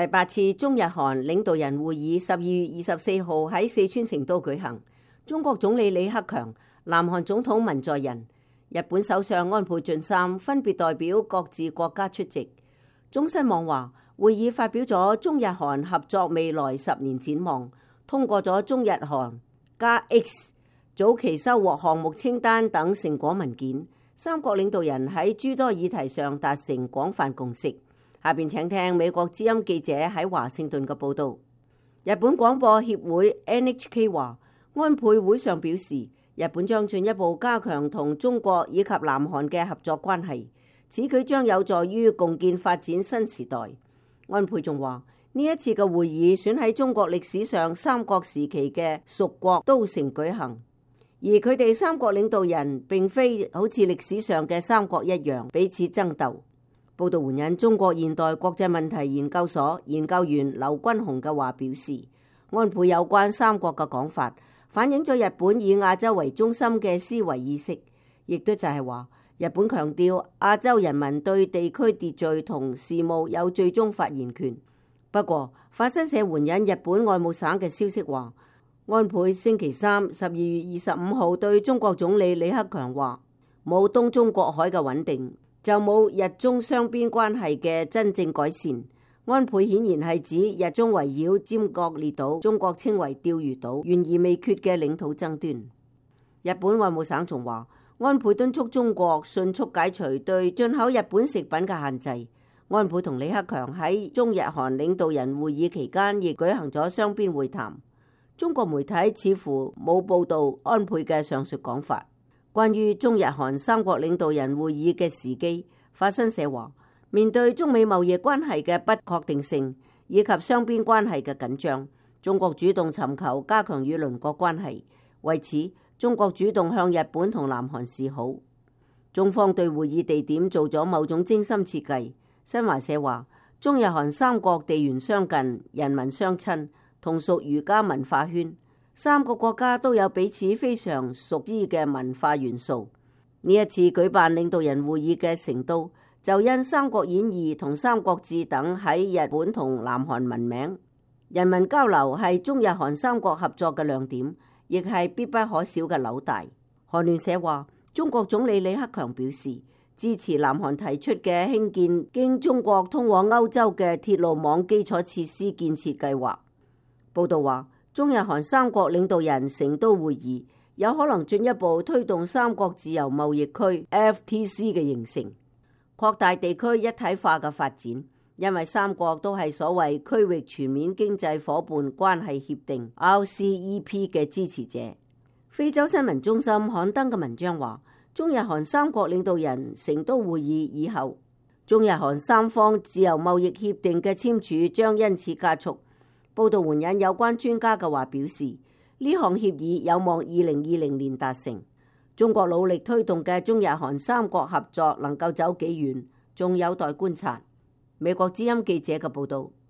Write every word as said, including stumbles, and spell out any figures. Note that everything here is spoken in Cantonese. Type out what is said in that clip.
第八次中日韓領導人會議十二月二十四號喺四川成都舉行，中國總理李克強、南韓總統文在寅、日本首相安倍晉三分別代表各自國家出席。中新網話，會議發表咗中日韓合作未來十年展望，通過咗中日韓加 X 早期收穫項目清單等成果文件。三國領導人喺諸多議題上達成廣泛共識。下邊請聽美國之音記者喺華盛頓嘅報道。日本廣播協會 N H K 話，安倍會上表示，日本將進一步加強同中國以及南韓嘅合作關係，此舉將有助於共建發展新時代。安倍仲話，呢一次嘅會議選喺中國歷史上三國時期嘅屬國都城舉行，而佢哋三國領導人並非好似歷史上嘅三國一樣彼此爭鬥。報道援引中國現代國際問題研究所研究員劉君雄嘅話表示，安倍有關三國嘅講法反映咗日本以亞洲為中心嘅思維意識，亦都就係話日本強調亞洲人民對地區秩序同事務有最終發言權。不過法新社援引日本外務省嘅消息話，安倍星期三十二月二十五號對中國總理李克強話，冇東中國海嘅穩定，就冇日中雙邊關係嘅真正改善。安倍顯然係指日中圍繞尖閣列島，中國稱為釣魚島，懸而未決嘅領土爭端。日本外務省仲話，安倍敦促中國迅速解除對進口日本食品嘅限制。安倍同李克強喺中日韓領導人會議期間亦舉行咗雙邊會談。中國媒體似乎冇報道安倍嘅上述講法。關於中日韓三國領導人會議嘅時機，法新社話，面對中美貿易關係嘅不確定性以及雙邊關係嘅緊張，中國主動尋求加強與鄰國關係。為此，中國主動向日本同南韓示好。中方對會議地點做咗某種精心設計。新華社話，中日韓三國地緣相近，人民相親，同屬儒家文化圈。三個國家都有彼此非常熟知嘅文化元素。呢一次舉辦領導人會議嘅成都，就因《三國演義》同《三國志》等喺日本同南韓聞名。人民交流係中日韓三國合作嘅亮點，亦係必不可少嘅紐帶。韓聯社話，中國總理李克強表示支持南韓提出嘅興建經中國通往歐洲嘅鐵路網基礎設施建設計劃。報道話，中日韓三國領導人成都會議有可能進一步推動三國自由貿易區 F T C 嘅形成，擴大地區一體化嘅發展。因為三國都係所謂區域全面經濟夥伴關係協定 R C E P 嘅支持者。非洲新聞中心刊登嘅文章話，中日韓三國領導人成都會議以後，中日韓三方自由貿易協定嘅簽署將因此加速。報道援引有關專家嘅話表示，呢項協議有望二零二零年達成。中國努力推動嘅中日韓三國合作能夠走幾遠，仲有待觀察。美國之音記者嘅報道。